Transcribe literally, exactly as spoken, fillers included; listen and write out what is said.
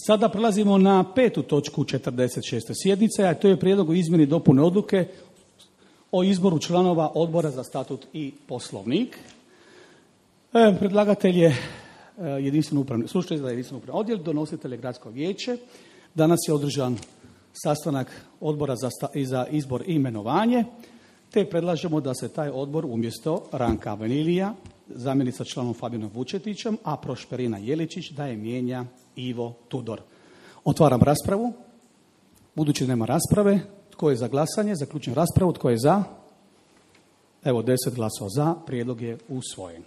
Sada prelazimo na petu točku četrdeset šeste sjednice, a to je prijedlog o izmjeni i dopuni odluke o izboru članova Odbora za statut i poslovnik. E, predlagatelj je jedinstveno upravni, slušatelj za jedinstveno upravni odjel, donositelj je Gradsko vijeće. Danas je održan sastanak Odbora za, sta, za izbor i imenovanje, te predlažemo da se taj odbor umjesto Ranka Venilija, zamjenica članom Fabijanom Vučetićem, a Prošperina Jeličić da je mijenja Ivo Tudor. Otvaram raspravu. Budući nema rasprave, tko je za glasanje? Zaključujem raspravu. Tko je za? Evo, deset glasova za. Prijedlog je usvojen.